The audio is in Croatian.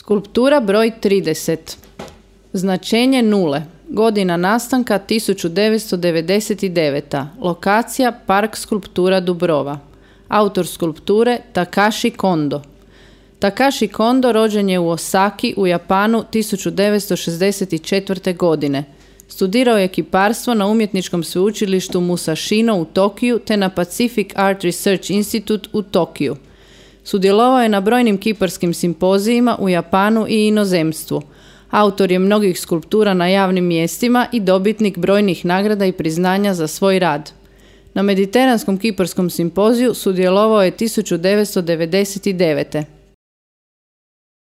Skulptura broj 30. Značenje nule. Godina nastanka 1999. Lokacija Park skulptura Dubrova. Autor skulpture Takashi Kondo. Takashi Kondo rođen je u Osaki u Japanu 1964. godine. Studirao je kiparstvo na umjetničkom sveučilištu Musashino u Tokiju te na Pacific Art Research Institute u Tokiju. Sudjelovao je na brojnim kiparskim simpozijima u Japanu i inozemstvu. Autor je mnogih skulptura na javnim mjestima i dobitnik brojnih nagrada i priznanja za svoj rad. Na Mediteranskom kiparskom simpoziju sudjelovao je 1999.